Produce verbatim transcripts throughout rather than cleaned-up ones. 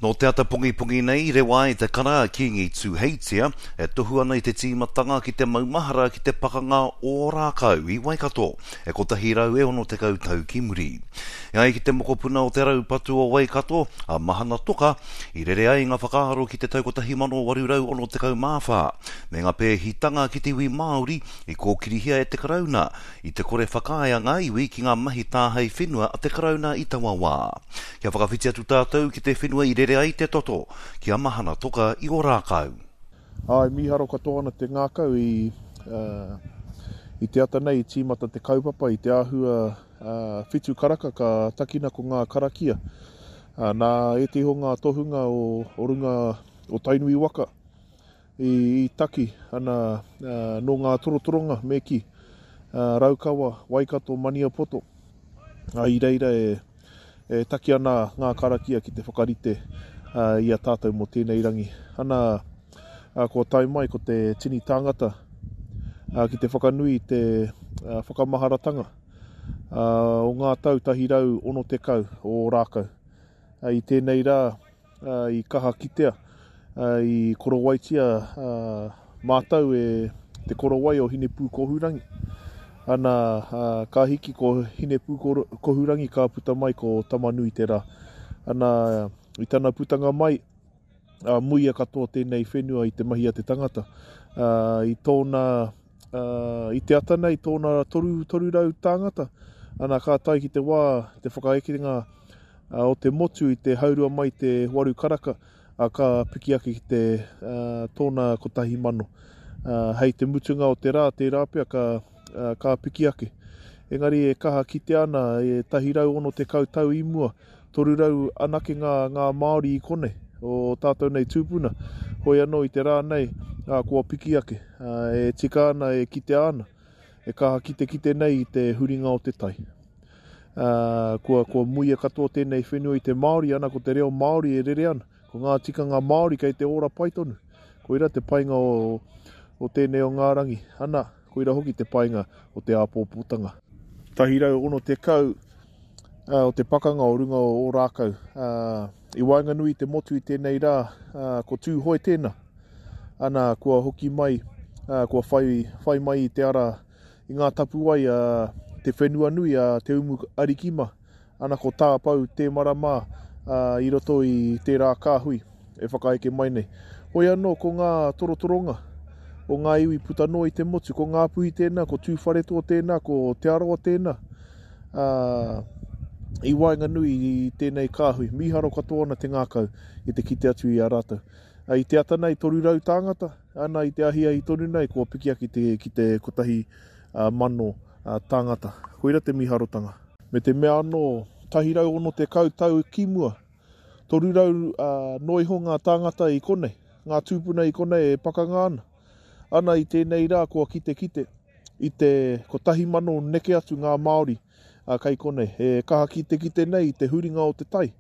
Nō te ata pongipongi nei i rewa ai te kara a Kīngi Tūheitia e tohu ana i te tīmatanga ki te maumahara ki te pakanga o Ōrākau i Waikato e kotahi rau e ono tekau tau ki muri. E ai ki te mokopuna o te raupatu o Waikato, a Mahana Toka, i rere ai ngā whakaaro ki te tau kotahi mano waru rau ono tekau mā whā, me ngā pēhitanga ki te iwi Māori i kōkirihia e te Karauna i te kore whakaae a ngā iwi ki ngā mahi tāhae whenua a te Karauna i taua wā. Kia whakawhiti atu tātou ki te whenua i rere ai te toto, ki a Mahana Toka i Ōrākau. Āe, mīharo katoa ana te ngākau i, uh, i te ata nei i tīmata te kaupapa i te āhua uh, whitu karaka ka takina ko ngā karakia. Uh, nā ētehi o ngā tohunga o, o runga o Tainui waka i, i taki ana uh, nō ngā torotoronga me ki uh, Raukawa, Waikato, Maniapoto. Uh, i reira e, e taki ana ngā karakia ki te whakarite uh, i a tātou mō tēnei rangi. Ana, uh, kua tae mai ko te tini tāngata uh, ki te whakanui i te uh, whakamaharatanga uh, o ngā tau tahi rau ono tekau o Ōrākau. Uh, i tēnei rā uh, i kaha kitea, uh, i korowaitia uh, mātou e te korowai o Hinepūkohurangi. Ana, uh, ka hiki ko Hinepūkohurangi ka puta mai ko Tamanui te rā. Ana, i tana putanga mai, uh, muia katoa tēnei whenua i te mahi a te tangata. Uh, i tōna, uh, i te ata nei tōna toru, toru rau tāngata. Ana, ka tae ki te wā, te whakaekenga, uh, o te motu i te haurua mai te waru karaka, uh, ka piki ake ki te, uh, tōna kotahi mano. Uh, hei te mutunga o te rā, tērā pea ka, uh, ka piki ake. Engari e kaha kite ana e tahi rau ono tekau tau i mua, toru rau anake ngā, ngā Māori i konei, o tātou nei tūpuna. Hoi anō i te rā nei, uh, kua piki ake. Uh, e tika ana, e kitea ana, e kaha kite kite nei i te huringa o te tai. Uh, kua, kua muia katoa tēnei whenua i te Māori, ana ko te reo Māori e rere ana. Ko ngā tikanga Māori kei te ora pai tonu. Koira te painga o, o tēnei o ngā rangi. Ana, koira hoki te painga o te āpōpōtanga. Tahi rau ono tekau, uh, o te pakanga o runga o Ōrākau. Uh, i waenganui i te motu i tēnei rā, uh, ko Tūhoe tēnā. Ana, kua hoki mai, uh, kua whai, whai mai i te ara i ngā tapuwai a uh, te whenua nui a Te Umu Arikima. Ana ko Tāpau Te Marama, uh, i roto i tērā kāhui e whakaeke mai nei. Hoi anō ko ngā torotoronga o ngā iwi puta noa i te motu, ko Ngāpuhi tēnā, ko Tūwharetoa tēnā, ko Te Arawa tēnā. Uh, i waenganui i tēnei kāhui, mīharo katoa ana te ngākau i te kite atu i a rātou. Uh, i te ata nei, toru rau tāngata, ana i te ahiahi tonu nei, kua piki ake te, ki te kotahi uh, mano uh, tāngata. Koira te mīharotanga. Me te mea anō, tahi rau ono tekau tau ki mua, toru rau uh, noa iho ngā tāngata i konei, ngā tūpuna i konei e pakanga ana. Ana i tēnei rā kua kite kite i te kotahi mano neke atu ngā Māori, uh, kei konei. E kaha kite kite nei i te huringa o te tai.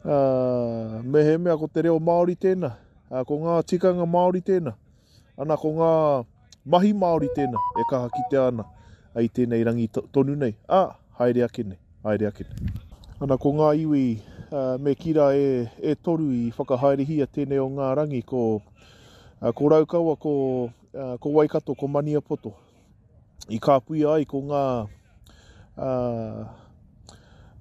Uh, me he mea ko te reo Māori tēnā, uh, ko ngā tikanga Māori tēnā, ana ko ngā mahi Māori tēnā e kaha kitea ana i tēnei rangi to-, tonu nei. A, haere ake nei, haere ake nei. Ana ko ngā iwi, uh, me kira e, e toru i whakahaerehia tēnei o ngā rangi, ko, uh, ko Raukawa, ko, uh, ko Waikato, ko Maniapoto. I kāpuia ai ko ngā, uh,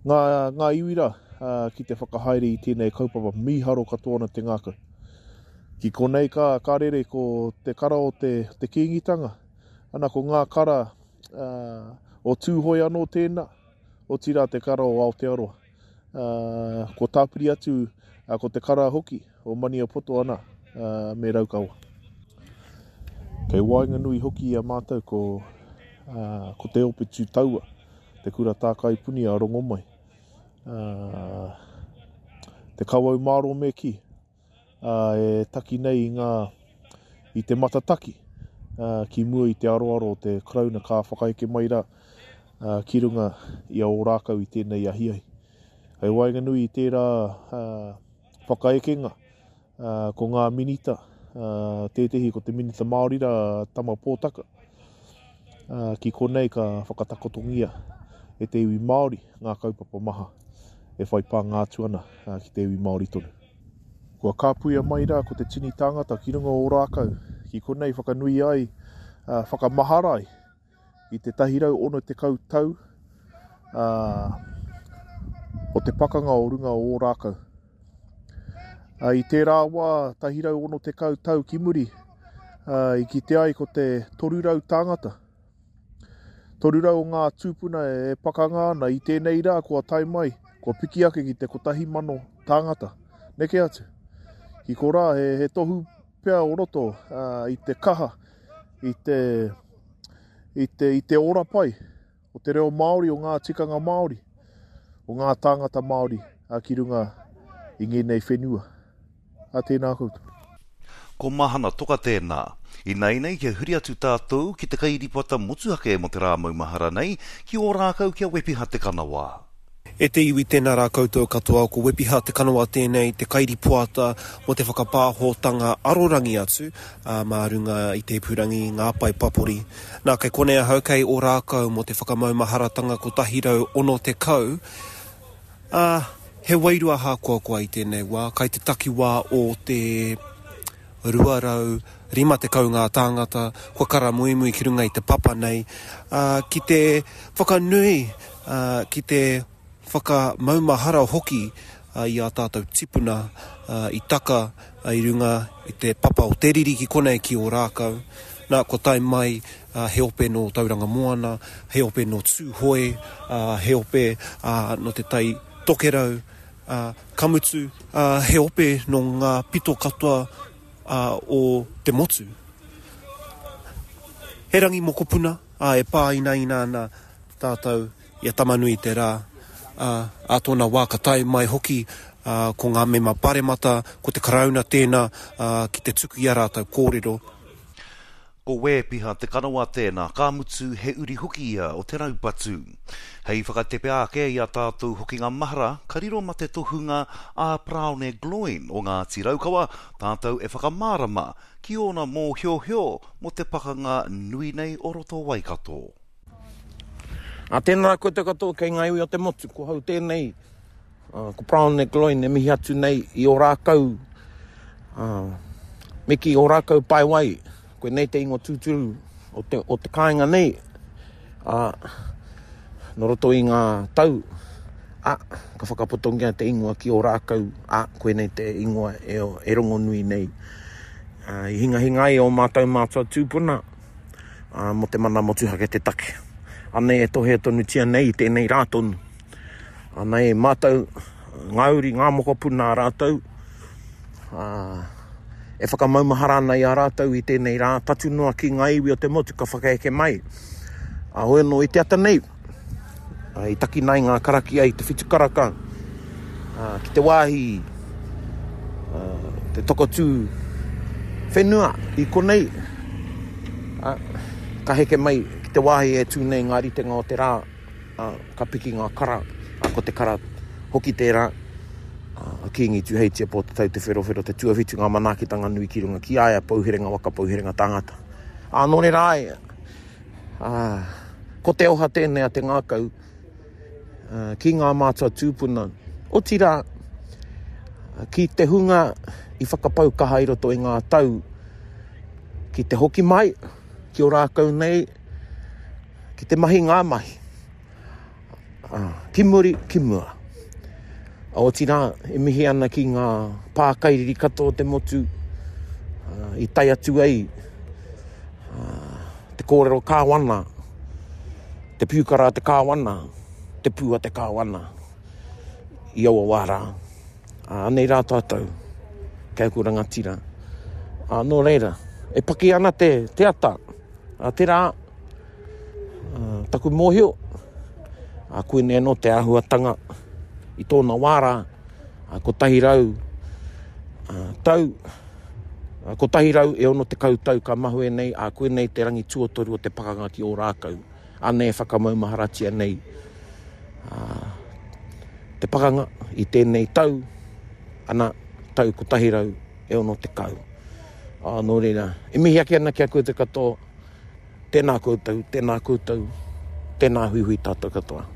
ngā, ngā iwi rā, uh, ki te whakahaere i tēnei kaupapa mīharo katoa ana te ngākau. Ki konei ka, ka rere ko te kara o te, te Kīngitanga, ana ko ngā kara, uh, o Tūhoe anō tēnā, otirā te kara o Aotearoa. Uh, ko tāpiri atu, uh, ko te kara hoki o Maniapoto ana, uh, me Raukawa. Kei waenganui hoki i a mātou ko, uh, ko te ope tū taua, te kura tākai puni a Rongomai. Uh, te kawau māro me ki, uh, e taki nei i ngā, i te matataki, uh, ki mua i te aroaro o te Karauna ka whakaeke mai rā, uh, ki runga i a Ōrākau i tēnei ahiahi. Hei waenganui i tērā, uh, whakaekenga, uh, ko ngā minita, uh, tētehi ko te minita Māori rā, Tama Pōtaka, uh, ki konei ka whakatakotongia e te iwi Māori ngā kaupapa maha e whai pānga atu ana ki te iwi Māori tonu. Kua kāpuia mai rā ko te tini tāngata ki runga o Ōrākau, ki konei whakanui ai, whakamahara ai i te tahi rau ono tekau tau o te pakanga o runga o Ōrākau. I tērā wā, tahi rau ono tekau tau ki muri, i kite ai ko te toru rau tāngata. Toru rau o ngā tūpuna e pakanga ana i tēnei rā kua tae mai, kua piki ake ki te kotahi mano tāngata. Neke atu. Ki korā, he, he tohu pea o roto uh, i te kaha, i te, i te, i te ora pai o te reo Māori, o ngā tikanga Māori, o ngā tāngata Māori uh, ki runga i ngēnei whenua. A tēnā koutou. Ko Mahana Toka tēnā. Ināianei kia huri atu tātou ki te kairipata motuhake mō te rā maumahara nei, ki Ōrākau ki a Wepiha Te Kanawa. E te iwi tēnā rā koutou katoa, ko Wepiha Te Kanawa tēnei, te kairipoata mō te whakapāhotanga arorangi atu, ā, mā runga i te ipurangi, ngā pae papori. Nā, kei konei ahau kei Ōrākau mō te whakamaumaharatanga kotahi rau ono tekau, ā, he wairua hākoakoa i tēnei wā, kai te takiwā o te rua rau rima tekau ngā tāngata kua karamuimui ki runga i te papa nei, ā, ki te whakanui, ā, ki te whakamaumahara hoki i ā tātou tipuna i taka i runga i te papa o te riri ki konei ki Ōrākau. Nā, kua tae mai he ope nō Tauranga Moana, he ope nō Tūhoe, he ope nō Te Tai Tokerau, ka mutu he ope nō ngā pito katoa o te motu. He rangi mokopuna e pāinaina ana tātou i a Tamanui te rā, ā, ā tōna wā ka tae mai hoki ko ngā mema paremata, ko te Karauna tēnā ki te tuku i a rātou kōrero. Ko Wēpiha Te Kanawa tēnā, ka mutu he uri hoki ia o te raupatu. Hei whakatepe ake i a tātou hokinga mahara, ka riro ma te tohunga a Paraone Gloyne o Ngāti Raukawa tātou e whakamārama ki ōna mōhiohio mō te pakanga nui nei o roto Waikato. Ā, tēnā rā koutou katoa kei ngā iwi o te motu, ko hau tēnei, ko Paraone Gloyne e mihi atu nei i Ōrākau, me ki Ōrākau Paewai, koinei te ingoa tūturu o te, o te kāinga nei, ā, nō roto i ngā tau, ā, ka whakapotongia te ingoa ki Ōrākau, ā, koinei te ingoa e, e rongonui nei. Ā, i hingahinga ai ō mātou mātua tūpuna, ā, mō te mana motuhake te take. Anei e tohea tonutia nei i tēnei rā tonu. Anei mātou, ngā uri, ngā mokopuna a rātou, ā, e whakamaumahara ana i a rātou i tēnei rā, tatu noa ki ngā iwi o te motu ka whakaeke mai. Ā, hoi anō i te ata nei, i takina ai ngā karakia i te whitu karaka, ā, ki te wāhi, ā, te tokotū whenua i konei, ā, ka heke mai ki te wāhi e tū nei ngā ritenga o te rā, ā, ka piki ngā kara, ā, ko te kara hoki tērā, ā, a Kīngi Tūheitia Pōtatau Te Wherowhero te tuawhitu ngā manaakitanga nui ki runga ki a ia, pouherenga waka, pouherenga tāngata. Ā, nō reira ai, ā, ko te oha tēnei a te ngākau, ā, ki ngā mātua tūpuna, otirā, ki te hunga i whakapau kaha i roto i ngā tau, ki te hoki mai, ki Ōrākau nei, ki te mahi ngā mahi, ā, ki muri, ki mua. Otirā, e mihi ana ki ngā pākairiri katoa o te motu, ā, i tae atu ai, ā, te kōrero kāwana, te piukara a te kāwana, te pū a te kāwana, i aua wā rā. Ā, anei rā tātou, kei aku rangatira. Ā, nō reira, e paki ana te, te ata, ā, te rā, ā, taku mōhio, ā, koinei anō te āhuatanga i tōna wā rā, ā, kotahi rau, ā, tau, ā, kotahi rau e ono tekau tau ka mahue nei, ā, koinei te rangi tuatoru o te pakanga ki Ōrākau. Anei e whakamaumaharatia nei, ā, te pakanga i tēnei tau, ana, tau kotahi rau e ono tekau. Ā, nō reira, e mihi ake ana ki a koutou katoa, tēnā koutou, tēnā koutou, tēnā huihui tātou katoa.